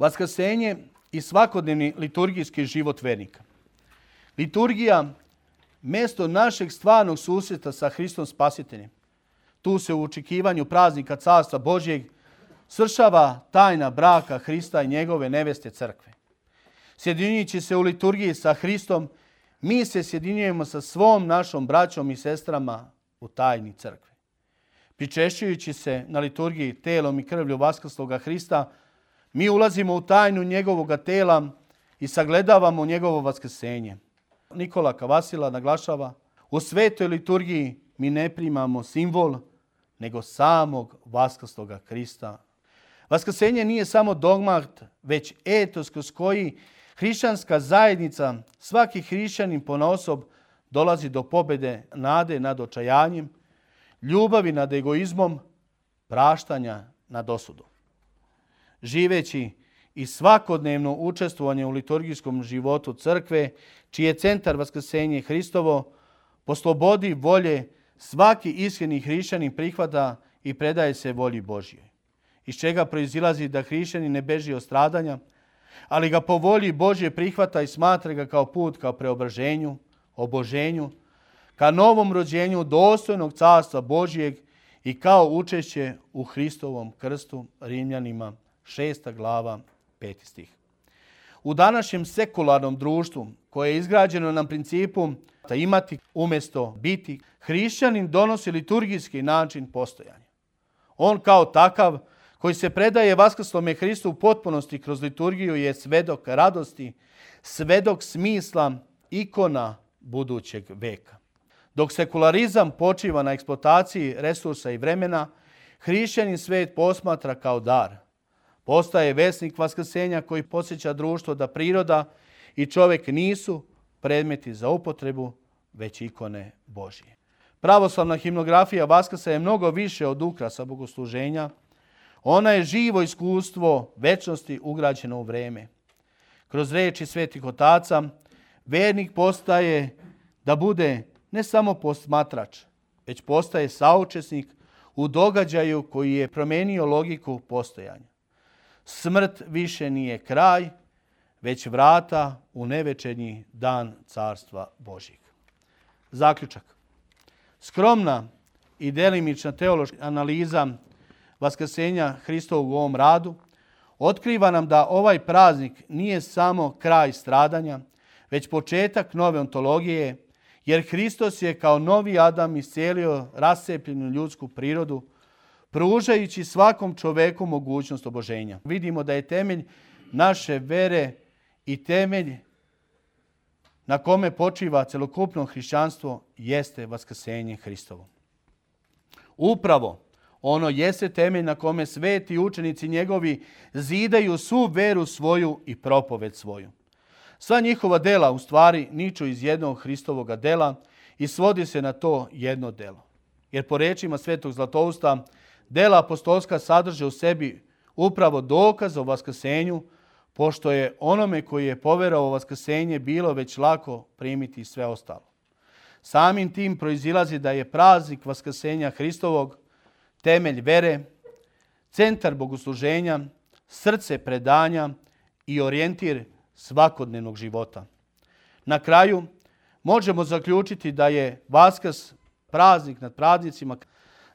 Vaskrsenje i svakodnevni liturgijski život vernika. Liturgija, mjesto našeg stvarnog susreta sa Hristom Spasiteljem. Tu se u očekivanju praznika Carstva Božjeg svršava tajna braka Hrista i njegove neveste crkve. Sjedinjujući se u liturgiji sa Hristom, mi se sjedinjujemo sa svom našom braćom i sestrama u tajni crkve. Pričešćujući se na liturgiji telom i krvlju vaskrsloga Hrista, mi ulazimo u tajnu njegovoga tela i sagledavamo njegovo vaskrsenje. Nikola Kavasila naglašava, u svetoj liturgiji mi ne primamo simbol, nego samog vaskrsloga Hrista. Vaskrsenje nije samo dogmat, već etos kroz koji hrišćanska zajednica, svaki hrišćanin ponaosob dolazi do pobjede nade nad očajanjem, ljubavi nad egoizmom, praštanja nad osudom. Živeći i svakodnevno učestvovanje u liturgijskom životu crkve, čiji je centar vaskrsenje Hristovo, po slobodi volje svaki iskreni hrišćanin prihvata i predaje se volji Božjoj, iz čega proizilazi da hrišćanin ne beži od stradanja, ali ga po volji Božje prihvata i smatra ga kao put ka preobraženju, oboženju, ka novom rođenju dostojnog carstva Božjeg i kao učešće u Hristovom krstu, Rimljanima 6. glava 5. stih. U današnjem sekularnom društvu, koje je izgrađeno na principu da imati umjesto biti, hrišćanin donosi liturgijski način postojanja. On kao takav, koji se predaje vaskrslome Hristu u potpunosti kroz liturgiju, je svedok radosti, svedok smisla, ikona budućeg veka. Dok sekularizam počiva na eksploataciji resursa i vremena, hrišćanin svet posmatra kao dar. Postaje vesnik vaskrsenja koji podsjeća društvo da priroda i čovjek nisu predmeti za upotrebu, već ikone Božje. Pravoslavna himnografija Vaskrsa je mnogo više od ukrasa bogosluženja. Ona je živo iskustvo večnosti ugrađeno u vreme. Kroz riječi svetih otaca, vernik postaje da bude ne samo posmatrač, već postaje saučesnik u događaju koji je promijenio logiku postojanja. Smrt više nije kraj, već vrata u nevečernji dan Carstva Božjeg. Zaključak. Skromna i delimična teološka analiza vaskrsenja Hristovog u ovom radu otkriva nam da ovaj praznik nije samo kraj stradanja, već početak nove ontologije, jer Hristos je kao novi Adam iscijelio rascepljenu ljudsku prirodu, pružajući svakom čoveku mogućnost oboženja. Vidimo da je temelj naše vere i temelj na kome počiva celokupno hrišćanstvo jeste vaskrsenje Hristovo. Upravo ono jeste temelj na kome sveti učenici njegovi zidaju svu veru svoju i propoved svoju. Sva njihova dela u stvari niču iz jednog Hristovoga dela i svodi se na to jedno delo. Jer po rečima svetog Zlatousta, dela apostolska sadrže u sebi upravo dokaz o vaskrsenju, pošto je onome koji je poverovao u vaskrsenje bilo već lako primiti sve ostalo. Samim tim proizilazi da je praznik vaskrsenja Hristovog temelj vere, centar bogosluženja, srce predanja i orijentir svakodnevnog života. Na kraju možemo zaključiti da je Vaskrs praznik nad praznicima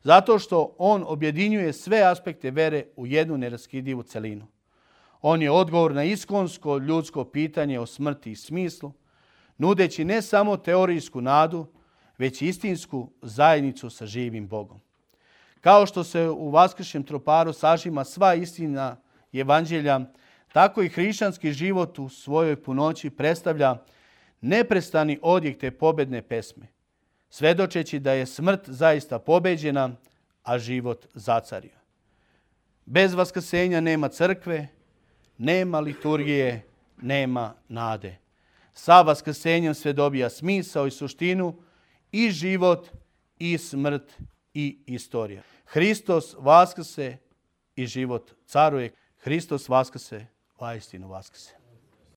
zato što on objedinjuje sve aspekte vere u jednu neraskidivu celinu. On je odgovor na iskonsko ljudsko pitanje o smrti i smislu, nudeći ne samo teorijsku nadu, već istinsku zajednicu sa živim Bogom. Kao što se u vaskršnjem troparu sažima sva istina evanđelja, tako i hrišćanski život u svojoj punoći predstavlja neprestani odjek te pobedne pesme, svedočeći da je smrt zaista pobeđena, a život zacario. Bez vaskrsenja nema crkve, nema liturgije, nema nade. Sa vaskrsenjem sve dobija smisao i suštinu, i život, i smrt, i istorija. Hristos vaskrse i život caruje. Hristos vaskrse, vaistinu vaskrse.